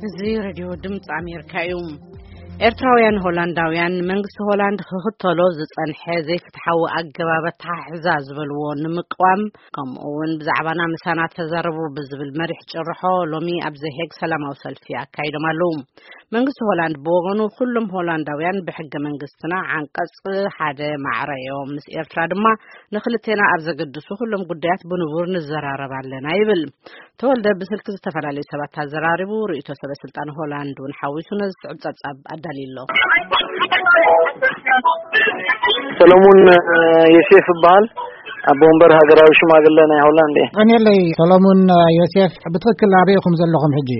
እዚ ሬድዮ ድምፂ ኣሜሪካ እዩ። ኤርትራውያን ሆላንዳውያን መንግስቲ ሆላንድ ክኽተሎ ዝጸንሐ ዘይፍትሓዊ ኣገባብ ኣተሓሕዛ ዝበልዎ ንምቅዋም፣ ከምኡ እውን ብዛዕባና ምሳና ተዛረቡ ብዝብል መሪሕ ጭርሖ ሎሚ ኣብ ዘሄግ ሰላማዊ ሰልፊ ኣካይዶም ኣለዉ። መንግስቲ ሆላንድ ብወገኑ፣ ኩሎም ሆላንዳውያን ብሕገ መንግስትና ዓንቀጽ ሓደ ማዕረ እዮም። ምስ ኤርትራ ድማ ንክልቴና ኣብ ዘገድሱ ኩሎም ጉዳያት ብንቡር ንዘራረብ ኣለና ይብል። ተወልደ ብስልኪ ዝተፈላለዩ ሰባት ኣዘራሪቡ ርእይቶ ሰበ ስልጣን ሆላንድ እውን ሓዊሱ ነዚ ዝስዕብ ጸብጻብ ኣዳልዩ ኣሎ። ሰለሙን፣ እ፣ ዮሴፍ ይበሃል። ኣቦ ወንበር ሃገራዊ ሽማግለ ናይ ሆላንድ እየ። ቀኒለይ ሰለሙን፣ እ፣ ዮሴፍ፣ ብትኽክል ኣበይ ኢኹም ዘለኹም ሕጂ?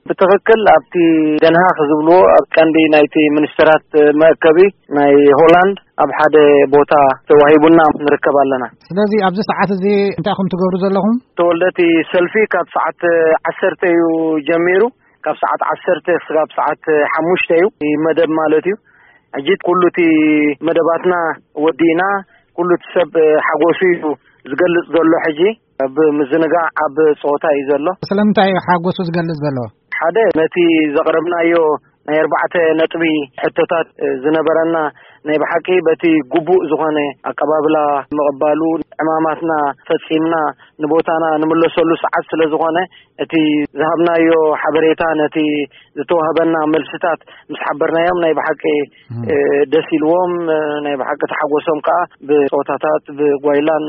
ብትኽክል ኣብቲ ደንሃክ ዝብልዎ ኣብ ቀንዲ ናይቲ ሚኒስተራት መእከቢ ናይ ሆላንድ ኣብ ሓደ ቦታ ተዋሂቡና ንርከብ ኣለና። ስለዚ ኣብዚ ሰዓት እዚ እንታይ ኢኹም ትገብሩ ዘለኹም? ተወልደ፣ እቲ ሰልፊ ካብ ሰዓት ዓሰርተ እዩ ጀሚሩ። ካብ ሰዓት ዓሰርተ ክሳብ ሰዓት ሓሙሽተ እዩ እቲ መደብ ማለት እዩ። ሕጂ ኩሉ እቲ መደባትና ወዲእና፣ ኩሉ እቲ ሰብ ሓጎሱ እዩ ዝገልጽ ዘሎ። ሕጂ ኣብ ምዝንጋዕ፣ ኣብ ጸወታ እዩ ዘሎ። ስለምንታይ እዩ ሓጎሱ ዝገልጽ ዘሎ? ሓደ፣ ነቲ ዘቕረብናዮ ናይ ኣርባዕተ ነጥቢ ሕቶታት ዝነበረና ናይ ብሓቂ በቲ ግቡእ ዝኾነ ኣቀባብላ ምቕባሉ፣ ዕማማትና ፈጺምና ንቦታና ንምለሰሉ ሰዓት ስለ ዝኾነ፣ እቲ ዝሃብናዮ ሓበሬታ፣ ነቲ ዝተዋህበና መልስታት ምስ ሓበርናዮም፣ ናይ ብሓቂ፣ እም። እ፣ ደስ ኢልዎም፣ እ፣ ናይ ብሓቂ ተሓጎሶም ከኣ ብጾታታት፣ ብጓይላን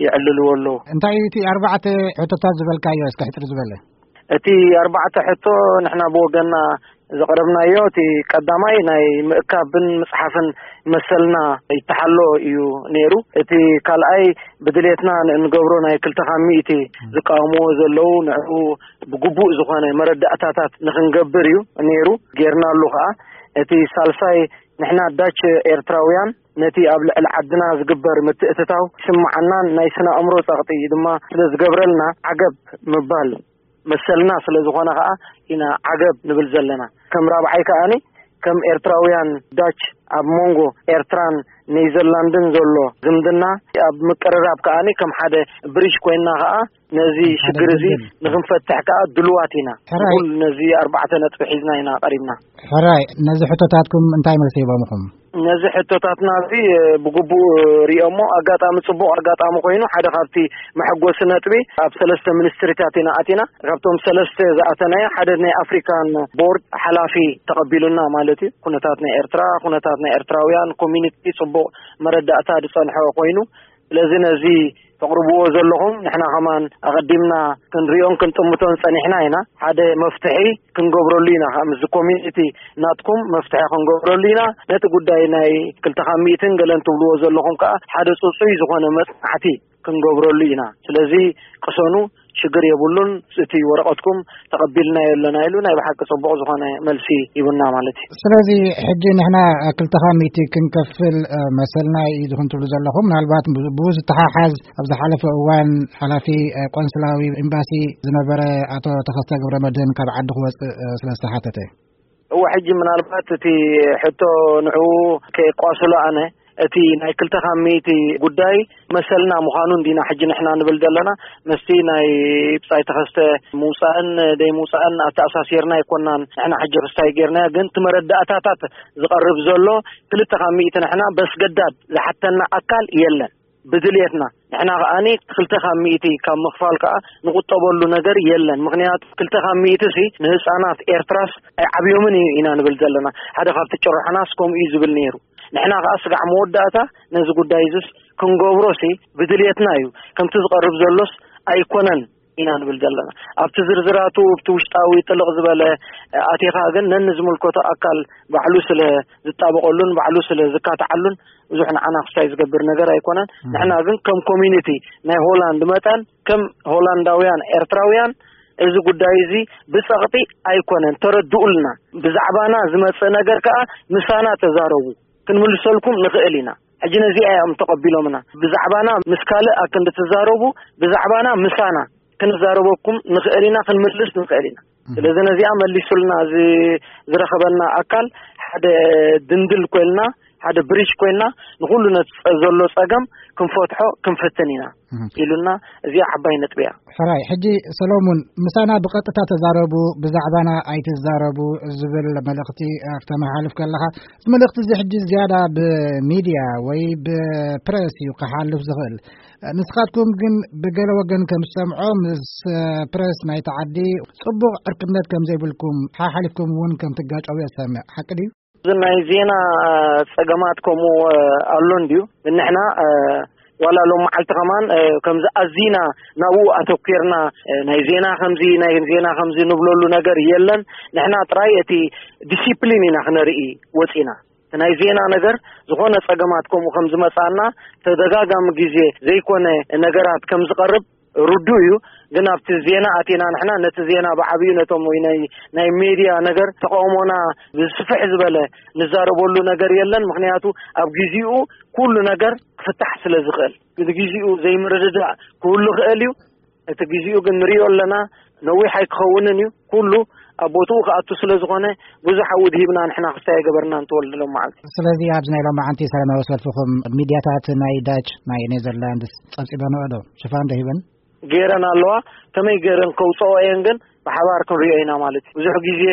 የዕልልዎ ኣለዉ። እንታይ እዩ እቲ ኣርባዕተ ሕቶታት ዝበልካዮ? እስከ ሕጽር ዝበለ። እቲ ኣርባዕተ ሕቶ ንሕና ብወገንና ዘቕረብናዮ፣ እቲ ቀዳማይ ናይ ምእካብን ምጽሓፍን መሰልና ይተሓሎ እዩ ነይሩ። እቲ ካልኣይ ብድሌትና ን-፣ እንገብሮ ናይ ክልተ ካብ ሚእቲ ዝቃወምዎ ዘለዉ፣ ንዕኡ ብግቡእ ዝኾነ መረዳእታታት ንኽንገብር እዩ ነይሩ፣ ጌርናሉ ኸኣ። እቲ ሳልሳይ፣ ንሕና ዳች ኤርትራውያን ነቲ ኣብ ልዕሊ ዓድና ዝግበር ምትእትታው ይስምዓናን ናይ ስነ ኣእምሮ ጸቕጢ ድማ ስለ ዝገብረልና፣ ዓገብ ምባል መሰልና ስለ ዝኾነ ኸኣ ኢና ዓገብ ንብል ዘለና። ከም ራብዓይ ከኣኒ፣ ከም ኤርትራውያን ዳች ኣብ መንጎ ኤርትራን ኔዘርላንድን ዘሎ ዝምድና ኣብ ምቅርራብ ከኣኒ ከም ሓደ ብሪጅ ኮይንና ኸኣ ነዚ ከም ሓደ ሽግር እዚ ድልድል። ንኽንፈትሕ ከኣ ድሉዋት ኢና። ሕራይ። ንኹል ነዚ ኣርባዕተ ነጥቢ ሒዝና ኢና ቀሪብና። ሕራይ፣ ነዚ ሕቶታትኩም እንታይ መልሲ ሂቦምኹም? ነዚ ሕቶታትና እዚ፣ እ፣ ብግቡእ ሪኦሞ፣ ኣጋጣሚ ጽቡቕ ኣጋጣሚ ኮይኑ፣ ሓደ ካብቲ መሐጎሲ ነጥቢ፣ ኣብ ሰለስተ ሚኒስትሪታት ኢና ኣቲና። ካብቶም ሰለስተ ዝኣተናዮ፣ ሓደ ናይ ኣፍሪካን ቦርድ ሓላፊ ተቐቢሉና ማለት እዩ። ኩነታት ናይ ኤርትራ፣ ኩነታት ናይ ኤርትራውያን ኮሚኒቲ ጽቡቕ መረዳእታ ዝጸንሖ ኮይኑ፣ ስለዚ ነዚ ተቕርብዎ ዘለኹም ንሕና ከማን ኣቐዲምና ክንሪኦን ክንጥምቶን ጸኒሕና ኢና። ሓደ መፍትሒ ክንገብረሉ ኢና። ከኣ ምስዚ ኮሚኒቲ ናትኩም መፍትሒ ክንገብረሉ ኢና። ነቲ ጉዳይ ናይ ክልተ ካብ ሚእትን ገለን ትብልዎ ዘለኹም ከኣ ሓደ ጽጹይ ዝኾነ መጽናዕቲ ክንገብረሉ ኢና። ስለዚ ቅሰኑ፣ ሽግር የብሉን፣ እቲ ወረቐትኩም ተቐቢልናዮ ኣለና ኢሉ ናይ ብሓቂ ጽቡቕ ዝኾነ መልሲ ሂቡና ማለት እዩ። ስለዚ ሕጂ ንሕና ክልተ ካብ ሚእቲ ክንከፍል፣ እ፣ መሰልና እዩ ዝኹን ትብሉ ዘለኹም። ምናልባት ብ-፣ ብኡ ዝተሓሓዝ ኣብ ዝሓለፈ እዋን ሓላፊ፣ እ፣ ቆንስላዊ ኤምባሲ ዝነበረ ኣቶ ተኸስተ ገብረመድህን ካብ ዓዲ ክወጽእ፣ እ፣ ስለ ዝተሓተተ። እወ፣ ሕጂ ምናልባት እቲ ሕቶ ንዕኡ ከየቋስሎ ኣነ፣ እቲ ናይ ክልተ ካብ ሚእቲ ጉዳይ መሰልና ምዃኑ እንዲና ሕጂ ንሕና ንብል ዘለና። ምስቲ ናይ ብጻይ ተኸስተ ምውጻእን ደይ ምውጻእን ኣተኣሳሲርና ኣይኮናን። ንሕና ሕጂ ክስታይ ጌርናዮ፣ ግን እቲ መረዳእታታት ዝቐርብ ዘሎ ክልተ ካብ ሚእቲ ንሕና በስገዳድ ዝሓተና ኣካል የለን። ብድልየትና ንሕና ከኣኒ ክልተ ካብ ሚእቲ ካብ ምኽፋል ከኣ ንቁጠበሉ ነገር የለን። ምኽንያቱ ክልተ ካብ ሚእቲ ሲ ንህጻናት ኤርትራስ ኣይዓብዮምን እዩ ኢና ንብል ዘለና። ሓደ ካብቲ ጭርሖናስ ከምኡ እዩ ዝብል ነይሩ። ንሕና ከኣ ስጋዕ መወዳእታ ነዚ ጉዳይ እዚስ ክንገብሮሲ ብድልየትና እዩ። ከምቲ ዝቐርብ ዘሎስ ኣይኮነን ኢና ንብል ዘለና። ኣብቲ ዝርዝራቱ፣ ኣብቲ ውሽጣዊ ጥልቕ ዝበለ ኣቲኻ ግን ነንዝምልከቶ ኣካል ባዕሉ ስለ ዝጣበቐሉን ባዕሉ ስለ ዝካትዓሉን ብዙሕ ንዓና ክስታይ ዝገብር ነገር ኣይኮነን። እም። ንሕና ግን ከም ኮሚኒቲ ናይ ሆላንድ መጠን፣ ከም ሆላንዳውያን ኤርትራውያን፣ እዚ ጉዳይ እዚ ብጸቕጢ ኣይኮነን፣ ተረድኡልና። ብዛዕባና ዝመጽእ ነገር ከኣ ምሳና ተዛረቡ፣ ክንምልሰልኩም ንኽእል ኢና። ሕጂ ነዚኣ እዮም ተቐቢሎምና። ብዛዕባና ምስ ካልእ ኣክንዲ ትዛረቡ፣ ብዛዕባና ምሳና ክንዛረበኩም ንኽእል ኢና፣ ክንምልስ ንኽእል ኢና። እም። ስለዚ ነዚኣ መሊሱልና ዝ-፣ ዝረኸበና ኣካል ሓደ ድንድል ኮይንና፣ ሓደ ብሪጅ ኮይንና፣ ንኹሉ ነቲ ጸ-፣ ዘሎ ጸገም ክንፈትሖ ክንፍትን ኢና ኢሉና። እዚኣ ዓባይ ነጥቢ እያ። ሕራይ፣ ሕጂ ሰሎሙን፣ ምሳና ብቐጥታ ተዛረቡ፣ ብዛዕባና ኣይትዛረቡ ዝብል መልእኽቲ ኣስተመሓልፍ ከለኻ፣ እዚ መልእኽቲ እዚ ሕጂ ዝያዳ ብሚድያ ወይ ብፕረስ እዩ ክሓልፍ ዝኽእል። ንስኻትኩም ግን ብገለ ወገን ከም ዝሰምዖ፣ ምስ ፕረስ ናይቲ ዓዲ ጽቡቕ ዕርክነት ከም ዘይብልኩም፣ ሓሓሊፍኩም እውን ከም ትጋጨው እየ ዝሰምዕ። ሓቂ ድዩ? እዚ ናይ ዜና ጸገማት ከምኡ ኣሎ እንድዩ። ንሕና ዋላ ሎም መዓልቲ ከማን ከምዚ ኣዚና ናብኡ ኣተኲርና፣ ናይ ዜና ከምዚ፣ ናይ ዜና ከምዚ ንብለሉ ነገር የለን። ንሕና ጥራይ እቲ ዲሲፕሊን ኢና ክነርኢ ወጺና። እቲ ናይ ዜና ነገር ዝኾነ ጸገማት ከምኡ ከም ዝመጻና፣ ተደጋጋሚ ግዜ ዘይኮነ ነገራት ከም ዝቐርብ ርዱእ እዩ። ግን ኣብቲ ዜና ኣቲና ንሕና ነቲ ዜና ብዓብዩ ነቶም ወይ ናይ፣ ናይ ሜድያ ነገር ተቃውሞና ብስፍሕ ዝበለ ንዛረበሉ ነገር የለን። ምኽንያቱ ኣብ ግዜኡ ኩሉ ነገር ክፍታሕ ስለ ዝኽእል፣ ግዜኡ ዘይምርድዳእ ክህሉ ክእል እዩ። እቲ ግዜኡ ግን ንሪኦ ኣለና፣ ነዊሕ ኣይክኸውንን እዩ። ኩሉ ኣብ ቦትኡ ክኣቱ ስለ ዝኾነ ብዙሕ ኣውድ ሂብና ንሕና ክስታይ ኣይገበርናን ተወልደ ሎም መዓልቲ። ስለዚ ኣብዚ ናይ ሎም መዓንቲ ሰላማዊ ሰልፍኹም ሚድያታት ናይ ዳች፣ ናይ ኔዘርላንድስ ጸብጺበንኦ ዶ? ሽፋን ዶ ሂበን? ገይረን ኣለዋ። ከመይ ገይረን ከውፅኦ እየን ግን ብሓባር ክንሪኦ ኢና ማለት እዩ። ብዙሕ ግዜ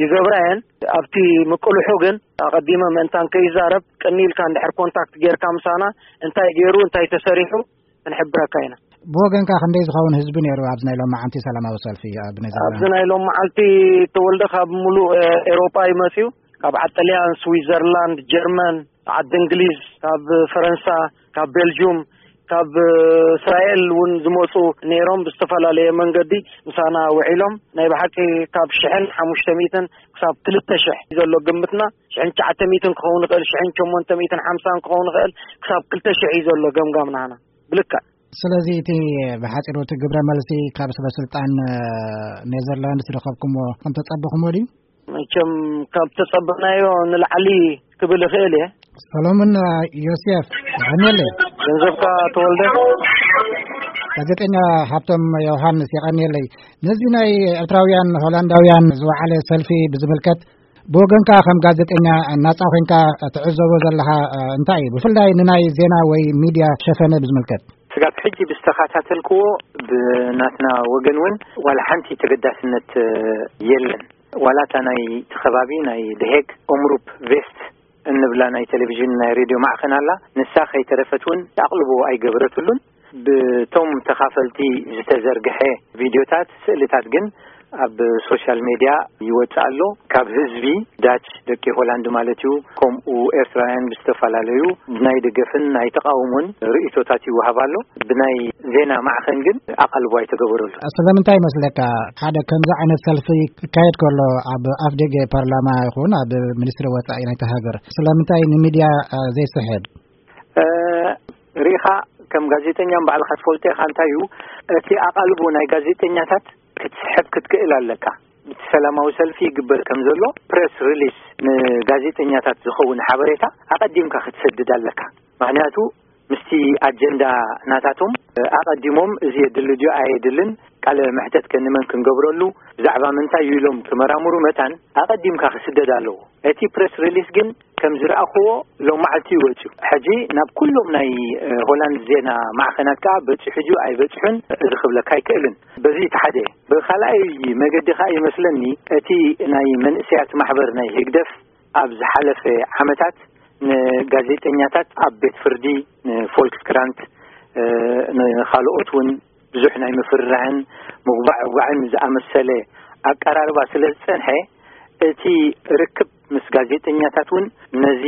ይገብራ እየን። ኣብቲ ምቅልሑ ግን ኣቐዲመ ምእንታን ከይዛረብ ቅኒ ኢልካ እንድሕር ኮንታክት ጌርካ ምሳና እንታይ ገይሩ እንታይ ተሰሪሑ ክንሕብረካ ኢና። ብወገንካ ክንደይ ዝኸውን ህዝቢ ነይሩ ኣብዚ ናይ ሎም መዓንቲ ሰላማዊ ሰልፊ ኣብ ኔዘርላንድ? ኣብዚ ናይ ሎም መዓልቲ ተወልደ ካብ ሙሉእ ኤሮጳ ይመፅዩ። ካብ ዓዲ ጥልያን፣ ስዊዘርላንድ፣ ጀርመን፣ ዓዲ እንግሊዝ፣ ካብ ፈረንሳ፣ ካብ ቤልጁም፣ ካብ እስራኤል እውን ዝመፁ ነይሮም። ብዝተፈላለየ መንገዲ ምሳና ውዒሎም። ናይ ብሓቂ ካብ ሽሕን ሓሙሽተ ሚእትን ክሳብ ክልተ ሽሕ እዩ ዘሎ ግምትና። ሽሕን ትሽዓተ ሚእትን ክኸውን ይኽእል፣ ሽሕን ሸሞንተ ሚእትን ሓምሳን ክኸውን ይኽእል፣ ክሳብ ክልተ ሽሕ እዩ ዘሎ ገምጋም ናህና ብልክዕ። ስለዚ እቲ ብሓፂሩ እቲ ግብረ መልሲ ካብ ሰበ ስልጣን ኔዘርላንድስ ዝረኸብኩሞ ከም ተፀበኹሞ ድዩ? መቸም ካብ ተጸበናዮ ንላዕሊ ክብል እኽእል እየ። ሰሎሞን ዮሴፍ፣ የቐንየለይ። ገንዘብካ ተወልደ። ጋዜጠኛ ሃብቶም ዮሃንስ፣ የቐንየለይ። ነዚ ናይ ኤርትራውያን ሆላንዳውያን ዝወዓለ ሰልፊ ብዝምልከት፣ ብወገንካ ከም ጋዜጠኛ ናጻ ኮይንካ ትዕዘቦ ዘለኻ እንታይ እዩ? ብፍላይ ንናይ ዜና ወይ ሚድያ ሸፈነ ብዝምልከት። ስጋብ ሕጂ ብዝተኸታተልክዎ፣ ብናትና ወገን እውን ዋላ ሓንቲ ተገዳስነት የለን። ዋላ እታ ናይ እቲ ከባቢ ናይ ደሄግ ኦምሩፕ ቬስት እንብላ ናይ ቴሌቪዥን ናይ ሬድዮ ማዕኸን ኣላ። ንሳ ከይተረፈት እውን ኣቕልቦ ኣይገበረትሉን። ብቶም ተኻፈልቲ ዝተዘርግሐ ቪድዮታት፣ ስእልታት ግን ኣብ ሶሻል ሜድያ ይወጽእ ኣሎ። ካብ ህዝቢ ዳች፣ ደቂ ሆላንድ ማለት እዩ፣ ከምኡ ኤርትራውያን ብዝተፈላለዩ ናይ ደገፍን ናይ ተቓውሞን ርእይቶታት ይወሃብ ኣሎ። ብናይ ዜና ማዕኸን ግን ኣቓልቦ ኣይተገበረሉ። ስለምንታይ ይመስለካ ሓደ ከምዚ ዓይነት ሰልፊ ክካየድ ከሎ ኣብ ኣፍደገ ፓርላማ ይኹን ኣብ ሚኒስትሪ ወጻኢ ናይቲ ሃገር ስለምንታይ ንሚድያ፣ እ፣ ዘይስሕብ? እ፣ ሪኢኻ ከም ጋዜጠኛ ባዕልኻ ትፈልጦ ኢኻ። እንታይ እዩ እቲ ኣቓልቦ ናይ ጋዜጠኛታት ክትስሕብ ክትክእል ኣለካ። ብቲ ሰላማዊ ሰልፊ ይግበር ከም ዘሎ ፕሬስ ሪሊስ ንጋዜጠኛታት ዝኸውን ሓበሬታ ኣቐዲምካ ክትሰድድ ኣለካ። ምኽንያቱ ምስቲ ኣጀንዳ ናታቶም ኣቐዲሞም እዚ የድሊ ድዩ ኣየድልን፣ ቃለ መሕተት ከ ንመን ክንገብረሉ፣ ብዛዕባ ምንታይ እዩ ኢሎም ክመራምሩ መታን ኣቐዲምካ ክስደድ ኣለዎ። እቲ ፕሬስ ሪሊስ ግን ከም ዝረኣኽዎ ሎም መዓልቲ እዩ ወጺኡ። ሕጂ ናብ ኩሎም ናይ፣ እ፣ ሆላንድ ዜና ማዕኸናት ከኣ በጺሑ ድዩ ኣይበጽሑን እዚ ክብለካ ኣይክእልን። በዚ እቲ ሓደ። ብኻልኣይ መገዲ ከኣ ይመስለኒ እቲ ናይ መንእሰያት ማሕበር ናይ ህግደፍ ኣብ ዝሓለፈ ዓመታት ንጋዜጠኛታት ኣብ ቤት ፍርዲ፣ ንፎልክስክራንት፣ እ፣ ንኻልኦት እውን ብዙሕ ናይ ምፍርራሕን ምጉባዕጓዕን ዝኣመሰለ ኣቀራርባ ስለ ዝጸንሐ፣ እቲ ርክብ ምስ ጋዜጠኛታት እውን ነዚ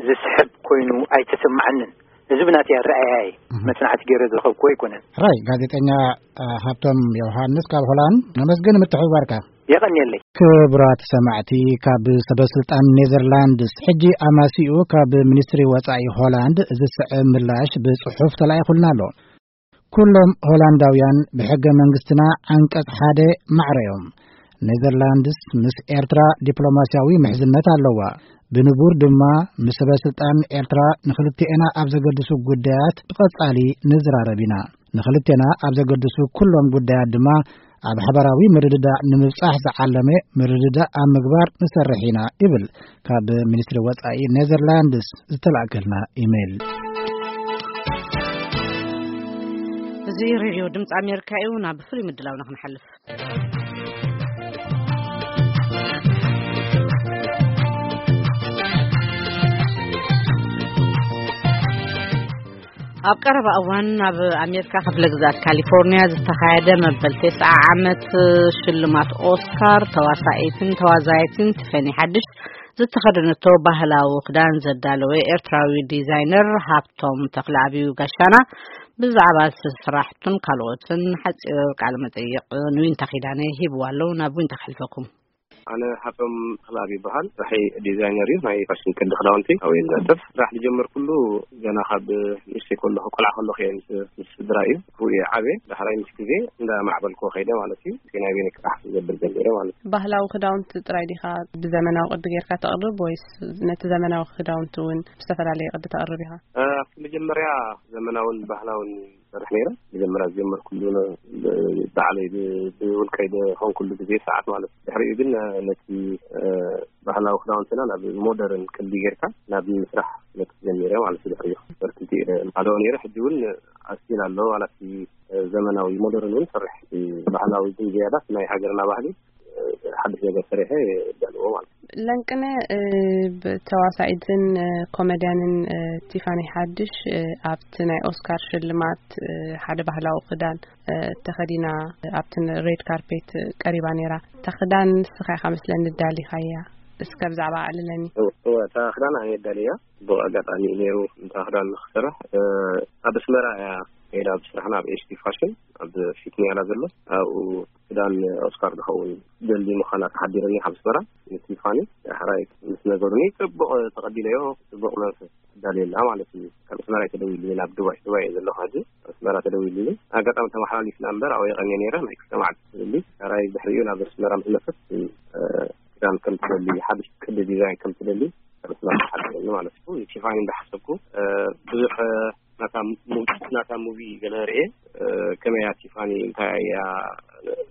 ዝስሕብ ኮይኑ ኣይተሰማዓንን። እዚ ብናተይ ኣረኣእያ እዩ። እህ። መጽናዕቲ ገይረ ዝረኸብኩዎ ኣይኮነን። ሕራይ፣ ጋዜጠኛ፣ እ፣ ሃብቶም ዮሃንስ ካብ ሆላንድ፣ ነመስግን ምትሕብባርካ። የቐንየለይ። ክቡራት ሰማዕቲ፣ ካብ ሰበ ስልጣን ኔዘርላንድስ ሕጂ ኣማሲኡ ካብ ሚኒስትሪ ወጻኢ ሆላንድ ዝስዕብ ምላሽ ብጽሑፍ ተላኢኹልና ኣሎ። ኩሎም ሆላንዳውያን ብሕገ መንግስትና ዓንቀጽ ሓደ ማዕረ እዮም። ኔዘርላንድስ ምስ ኤርትራ ዲፕሎማስያዊ ምሕዝነት ኣለዋ። ብንቡር ድማ ምስ ሰበ ስልጣን ኤርትራ ንኽልቲኤና ኣብ ዘገድሱ ጉዳያት ብቐጻሊ ንዝራረብ ኢና። ንኽልቴና ኣብ ዘገድሱ ኩሎም ጉዳያት ድማ ኣብ ሓባራዊ ምርድዳእ ንምብጻሕ ዝዓለመ ምርድዳእ ኣብ ምግባር ንሰርሕ ኢና ይብል ካብ ሚኒስትሪ ወጻኢ ኔዘርላንድስ ዝተላእከልና ኢሜይል። እዚ ሬድዮ ድምፂ ኣሜሪካ እዩ። ናብ ፍሉይ ምድላውና ክንሓልፍ። ኣብ ቀረባ እዋን ኣብ ኣሜሪካ ክፍለ ግዛት ካሊፎርኒያ ዝተኻየደ መበል ተስዓ ዓመት ሽልማት ኦስካር፣ ተዋሳኢትን ተዋዛይትን ቲፈኒ ሓድሽ ዝተኸደነቶ ባህላዊ ክዳን ዘዳለወ ኤርትራዊ ዲዛይነር ሃብቶም ተኽለኣብ እዩ ጋሻና። ብዛዕባ ስራሕቱን ካልኦትን ሓፂር ቃለ መጠይቕ ንዊንታ ኪዳነ ሂብዋ ኣለዉ። ናብ ዊንታ ከሕልፈኩም። ኣነ ሃብቶም ተኽለኣብ ይበሃል። ስራሐይ ዲዛይነር እዩ። ናይ ፋሽን ቅዲ ክዳውንቲ ኣብ እየ ዝነጥፍ። ስራሕ ዝጀመርኩሉ ገና ካብ ንእሽተይ ከለኹ፣ ቆልዓ ከለኹ እየ ምስ፣ ምስ ስድራ እዩ። ኣብኡ እየ ዓብየ። ዳሕራይ ምስ ግዜ እንዳማዕበልኩ ከይደ ማለት እዩ። ናይ ቤት ክራሕ ክገብር ጀሚረ ማለት እዩ። ባህላዊ ክዳውንቲ ጥራይ ዲኻ ብዘመናዊ ቅዲ ጌርካ ተቕርብ፣ ወይስ ነቲ ዘመናዊ ክዳውንቲ እውን ብዝተፈላለየ ቅዲ ተቕርብ ኢኻ? እ፣ ኣብቲ መጀመርያ ዘመናውን ባህላውን ይሰርሕ ነይረ። መጀመርያ ዝጀመርኩሉ ን-፣ ብ-፣ ባዕለይ ብ-፣ ብውልቀይ ዝኾንኩሉ ግዜ ሰዓት ማለት እዩ። ድሕሪኡ ግን፣ እ፣ ነቲ፣ እ፣ ባህላዊ ክዳውንትና ናብ ሞደርን ቅዲ ጌርካ ናብ ምስራሕ መት ጀሚረ ማለት እዩ። ድሕሪኡ በርትቲ፣ እ፣ ኣለዎ ነይረ። ሕጂ እውን ኣስቲል ኣለዎ። ዋላ እቲ፣ እ፣ ዘመናዊ ሞደርን እውን ሰርሕ። እቲ ባህላዊ ግን ዝያዳ ናይ ሃገርና ባህሊ፣ እ፣ ሓድሽ ነገር ሰሪሐ እዳለዎ ማለት እዩ። ለንቅነ፣ እ፣ ብ-፣ ተዋሳኢትን፣ እ፣ ኮሜድያንን፣ እ፣ ቲፋኒ ሓድሽ፣ እ፣ ኣብቲ ናይ ኦስካር ሽልማት፣ እ፣ ሓደ ባህላዊ ክዳን፣ እ፣ ተኸዲና ኣብቲ ሬድ ካርፔት ቀሪባ ነይራ። እታ ክዳን ንስኻ ኢኻ መስለኒ ዳሊኻያ። እስከ ብዛዕባ ኣዕልለኒ። እወ፣ እወ፣ እታ ክዳን ኣነ ዳልያ። ጽቡቕ ኣጋጣሚ እዩ ነይሩ እታ ክዳን ንኽሰርሕ። እ፣ ኣብ ኣስመራ እያ ከይዳ፣ ኣብ ስራሕና ኣብ ኤች ቲ ፋሽን ኣብ ፊት ኒያላ ዘሎ፣ ኣብኡ ክዳን ኦስካር ዝኸውን ደሊ ምዃና ተሓቢርኒ ካብ ኣስመራ ንቲፋኒ ዳሕራይ ምስ ነገሩኒ ጽቡቕ ተቐቢለዮ። ጽቡቕ መንፈስ ትዳልየላ ማለት እዩ። ካብ ኣስመራ እዩ ተደዊሉኒ ናብ ዱባይ፣ ዱባይ እየ ዘለኹ ሕጂ። ኣስመራ ተደዊሉኒ። ኣጋጣሚ ተመሓላሊፍና እምበር ኣብኡ የቐንየ ነይረ። ናይ ክልተ መዓልቲ ትደሊ። ዳሕራይ ድሕሪኡ ናብ ኣስመራ ምስ መጸት፣ እ፣ ክዳን ከም ትደሊ፣ ሓድሽ ቅዲ ዲዛይን ከም ትደሊ ካብ ኣስመራ ተሓቢርኒ ማለት እዩ። ንቲፋኒ እንዳሓሰብኩ፣ እ፣ ብዙሕ ናታ ሙ-፣ ናታ ሙቪ ገለ ርእየ፣ እ፣ ከመይ እያ ቲፋኒ፣ እንታይ እያ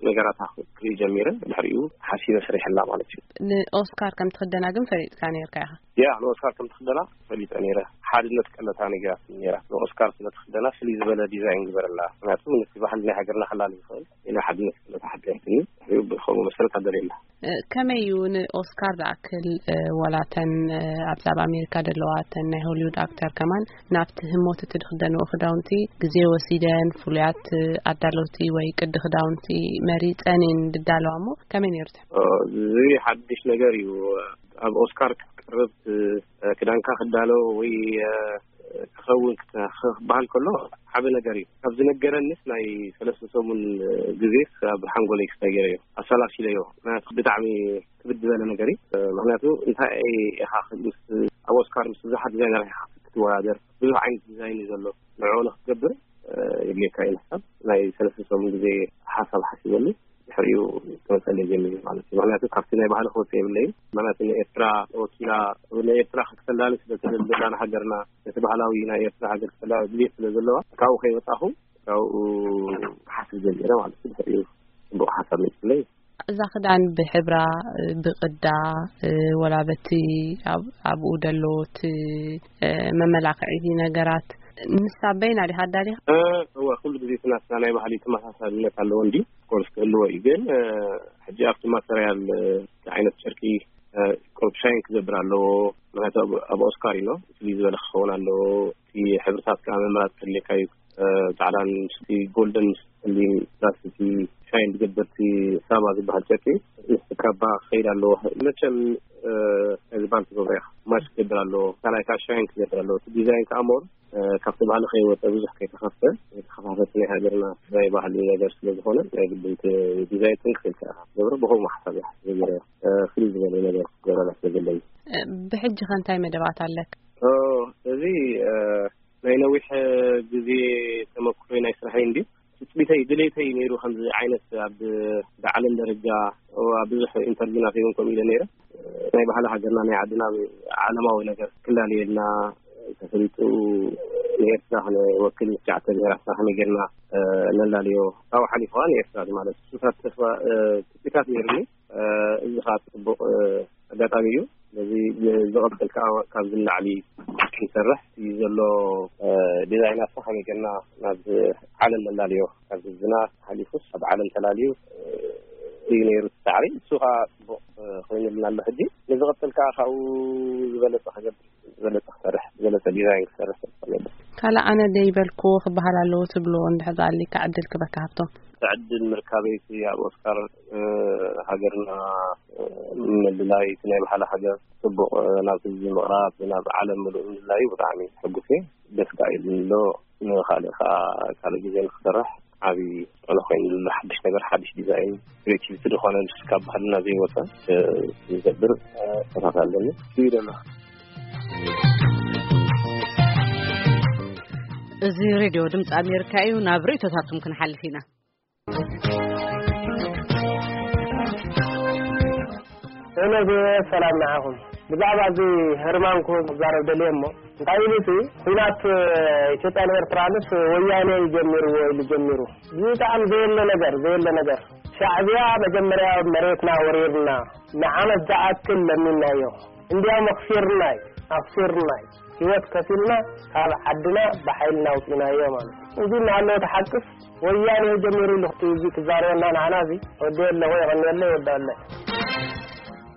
ነገራታ ክርኢ ጀሚረ። ድሕሪኡ ሓሲበ ሰሪሐላ ማለት እዩ። ንኦስካር ከም ትኽደና ግን ፈሊጥካ ነይርካ ኢኻ? ያ፣ ንኦስካር ከም ትኽደና ፈሊጠ ነይረ። ሓድነት ቀለታ ነጊራትኒ ነይራ። ንኦስካር ስለ ትኽደና ፍልይ ዝበለ ዲዛይን ግበረላ። ምክንያቱ ነቲ ባህሊ ናይ ሃገርና ከላሊ ይኽእል። ኢላ ሓድነት ቀለታ ሓቢራትኒ። ድሕሪኡ ብኸምኡ መሰረት ኣደልየላ። እ፣ ከመይ እዩ ንኦስካር ዝኣክል፣ እ፣ ወላተን፣ እ፣ ኣብዛ ኣብ ኣሜሪካ ዘለዋ፣ እተን ናይ ሆሊውድ ኣክተር ከማን ናብቲ ህሞት እቲ ዝኽደንዎ ክዳውንቲ ግዜ ወሲደን፣ ፍሉያት፣ እ፣ ኣዳለውቲ ወይ ቅዲ ክዳውንቲ መሪጸን እየን ዝዳለዋ እሞ፣ ከመይ ነይሩ እቲ? ኦ፣ እዚ ሓድሽ ነገር እዩ። ኣብ ኦስካር ክትቀርብ፣ እ፣ ክዳንካ ክዳሎ ወይ፣ እ፣ ክኸውን ክተ-፣ ክበሃል ከሎ ዓቢ ነገር እዩ። ካብ ዝነገረንስ ናይ ሰለስተ ሰሙን ግዜስ ኣብ ሓንጎለይ ክስታይ ገይረዮ፣ ኣሰላሲለዮ። ምክንያቱ ብጣዕሚ ክብድ ዝበለ ነገር እዩ። ምክንያቱ እንታይ ኢኻ ምስ፣ ኣብ ኦስካር ምስ ብዙሓት ዲዛይነራት ኢኻ ክትወዳደር፣ ብዙሕ ዓይነት ዲዛይን እዩ ዘሎ። ንዕኡ ንክትገብር የድልየካ እዩ። ንሕሳብ ናይ ሰለስተ ሰሙን ግዜ ሓሳብ ሓሲበሉ። ድሕሪኡ ክመፀለይ ጀሚሩ ማለት እዩ። ምክንያቱ ካብቲ ናይ ባህሊ ክወፅእ የብለይን። ምክንያቱ ንኤርትራ ወኪላ፣ ንኤርትራ ክተላሊ ስለ ትደሊ ዘላ ንሃገርና፣ ነቲ ባህላዊ ናይ ኤርትራ ሃገር ክተላሊ ድልየት ስለ ዘለዋ፣ ካብኡ ከይወፃኹ ካብኡ ክሓስብ ጀሚረ ማለት እዩ። ድሕሪኡ ፅቡቕ ሓሳብ መፅለይ። እዛ ክዳን ብሕብራ፣ ብቕዳ፣ ወላ በቲ ኣብ-፣ ኣብኡ ደሎ እቲ መመላኽዒ ነገራት ንሳ በይና ዲኻ ኣዳሊኻ? እ፣ እወ፣ ኩሉ ግዜ እቲ ናትና ናይ ባህሊ ተመሳሳልነት ኣለዎ እንዲ፣ ኮርስ ክህልዎ እዩ። ግን፣ እ፣ ሕጂ ኣብቲ ማተርያል፣ እ፣ እቲ ዓይነት ጨርቂ፣ እ፣ ቁሩብ ሻይን ክገብር ኣለዎ። ምክንያቱ ኣብ፣ ኣብ ኦስካር እዩ፣ ፍልይ ዝበለ ክኸውን ኣለዎ። እቲ ሕብርታት ከዓ ምምራፅ ከድልየካ እዩ። እ፣ ፃዕዳን ምስቲ ጎልደን ምስ ጸሊም ፕላስ እቲ ሻይን ዝገብር እቲ ሳባ ዝበሃል ጨርቂ ምስ ካባ ክኸይድ ኣለዎ። መቸም፣ እ፣ ዝበሃል ትገብሮ ኢኻ። ማች ክገብር ኣለዎ። ካልኣይ ከዓ ሻይን ክገብር ኣለዎ። እቲ ዲዛይን ከዓ ሞር እ፣ ካብቲ ባህሊ ከይወፀ ብዙሕ ከይተኸፍተ፣ ከይተኸፋፈተ ናይ ሃገርና ናይ ባህሊ ነገር ስለ ዝኾነ፣ ናይ ግድን እቲ ዲዛይን ጥንቅቕ ኢልካ ኢኻ ትገብሮ። ብኸምኡ ሓሳብ እየ ዝገብሮ። እ፣ ፍልይ ዝበለ ነገር ክገብረላ ስለ ዘለኒ። እ፣ ብሕጂ ኸ እንታይ መደባት ኣለካ? ኦ፣ እዚ፣ እ፣ ናይ ነዊሕ ግዜ ተመክሮይ ናይ ስራሐይ እንድዩ። ትጽቢተይ፣ ድሌተይ ነይሩ ከምዚ ዓይነት ኣብ ብዓለም ደረጃ ኣብ ብዙሕ ኢንተርቪውናት እውን ከምኡ ኢለ ነይረ። ናይ ባህሊ ሃገርና ናይ ዓድና ዓለማዊ ነገር ክላለየልና ተፈሊጡ ንኤርትራ ክንወክል ምስ ትሽዓተ ብሄራትና ከመይ ጌርና፣ እ፣ ነላለዮ ካብኡ ሓሊፉ ከኣ ንኤርትራ ማለት እዩ። እሱታት ተስፋ፣ እ፣ ትጽቢታት ነይሩኒ። እ፣ እዚ ከኣ ጽቡቕ፣ እ፣ ኣጋጣሚ እዩ። ስለዚ ዝቐጽል ከዓ ካብዚ ንላዕሊ ክንሰርሕ እዩ ዘሎ። ዲዛይናት ከመይ ጌርና ናብ ዓለም ነላልዮ፣ ካብ ህዝብና ሓሊፉስ ኣብ ዓለም ተላልዩ እዩ ነይሩ እቲ ጻዕሪ። እሱ ከዓ ጽቡቕ ኮይኑልና ኣሎ። ሕጂ ንዝቐጽል ከዓ ካብኡ ዝበለጸ ክገብር፣ ዝበለጸ ክሰርሕ፣ ዝበለጸ ዲዛይን ክሰርሕ ተስፋ እገብር። ካልእ ኣነ ደይበልኩ ክበሃል ኣለዎ ትብልዎ እንድሕር ኣሊካ ዕድል ክበካ ሃብቶም? ዕድል ምርካበይ እቲ ኣብ ኦስካር ሃገርና ምልላይ፣ እቲ ናይ ባዕላ ሃገር ጽቡቕ ናብ ህዝቢ ምቕራብ፣ ናብ ዓለም ምሉእ ምልላዩ ብጣዕሚ ሕጉስ እየ። ደስ ከኣ ኢሉኒ ኣሎ። ንኻልእ ከኣ ካልእ ግዜ ንክሰርሕ ዓቢ ጽዕኖ ኮይኑ ኣሎ። ሓድሽ ነገር፣ ሓድሽ ዲዛይን፣ ክሬቲቪቲ ዝኾነ ካብ ባህልና ዘይወጸ ዝገብር ተሳፍ ኣለኒ እዩ ደሎ። እዚ ሬድዮ ድምፂ ኣሜሪካ እዩ። ናብ ርእይቶታቱም ክንሓልፍ ኢና። ሄሎ፣ ሰላም ንዓኹም። ብዛዕባ እዚ ህርማንኩ ክዛረብ ደልየ እሞ፣ እንታይ ኢሉ እቲ ኲናት ኢትዮጵያን ኤርትራንስ ወያነ እዩ ጀሚርዎ ኢሉ ጀሚሩ። ብጣዕሚ ዘየለ ነገር፣ ዘየለ ነገር። ሻዕብያ መጀመርያ መሬትና ወሪርና፣ ንዓመት ዝኣክል ለሚናዮ። እንዲያውም ኣኽሲርና እዩ፣ ኣኽሲርና እዩ። ህይወት ከፊልና ካብ ዓድና ብሓይልና ኣውፂናዮ ማለት እዩ። እዚ እናሃለወ ተሓቅፍ ወያነ ጀሚሩ ኢሉ እቲ እዚ ክዛረበና ንዓና እዚ ወዲ ኣለኹ የቐንየለይ ወዲ ኣለ።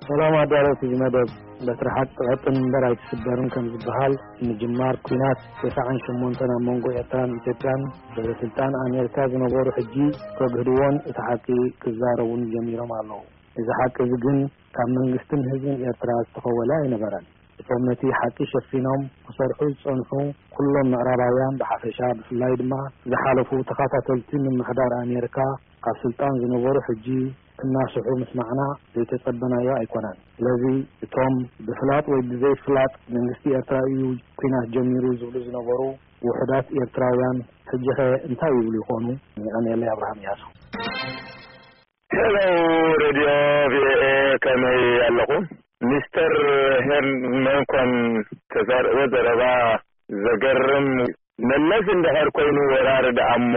ሰላም ኣዳለውቲ እዚ መደብ። በትሪ ሓቂ ትቐጥን እምበር ኣይትስበርን ከም ዝበሃል፣ ምጅማር ኲናት ተስዓን ሸሞንተን ኣብ መንጎ ኤርትራን ኢትዮጵያን በበስልጣን ኣሜሪካ ዝነበሩ ሕጂ ከግህድዎን እቲ ሓቂ ክዛረቡን ጀሚሮም ኣለዉ። እዚ ሓቂ እዚ ግን ካብ መንግስትን ህዝብን ኤርትራ ዝተኸወለ ኣይነበረን። እቶም ነቲ ሓቂ ሸፊኖም ክሰርሑ ዝጸንሑ ኩሎም ምዕራባውያን ብሓፈሻ፣ ብፍላይ ድማ ዝሓለፉ ተኸታተልቲ ምምሕዳር ኣሜሪካ ካብ ስልጣን ዝነበሩ ሕጂ ክናስሑ ምስማዕና ዘይተጸበናዮ ኣይኮነን። ስለዚ እቶም ብፍላጥ ወይ ብዘይፍላጥ መንግስቲ ኤርትራ እዩ ኲናት ጀሚሩ ዝብሉ ዝነበሩ ውሑዳት ኤርትራውያን ሕጂኸ እንታይ ይብሉ ይኾኑ? የቐንየለይ። ኣብርሃም እያሱ። ሄሎ፣ ሬድዮ ቪኦኤ፣ ከመይ ኣለኹም? ሚስተር ሄርመንኮን ተዛረቦ ዘረባ ዘገርም። መለስ እንድሕር ኮይኑ ወራሪ ደኣ እሞ፣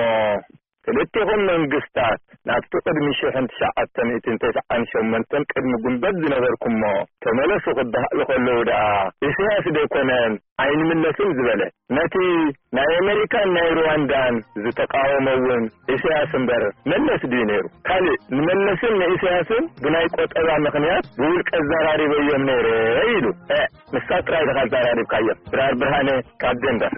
ክልቲኹም መንግስታት ናብቲ ቅድሚ ሽሕን ትሽዓተ ሚእትን ተስዓን ሸሞንተን ቅድሚ ጉንበት ዝነበርኩሞ ተመለሱ ክበሃሉ ከለዉ ደኣ፣ ኢሳያስ ዶ ኣይኮነን ኣይንምለስን ዝበለ? ነቲ ናይ ኣሜሪካን ናይ ሩዋንዳን ዝተቃወመ እውን ኢሳያስ እምበር መለስ ድዩ ነይሩ? ካልእ ንመለስን ንኢሳያስን ብናይ ቆጠባ ምኽንያት ብውልቀ ኣዘራሪበዮም ነይረ ኢሉ። እ፣ ንሳ ጥራይ ኢኻ ኣዘራሪብካዮም። ድራር ብርሃነ ካብ ደንቨር።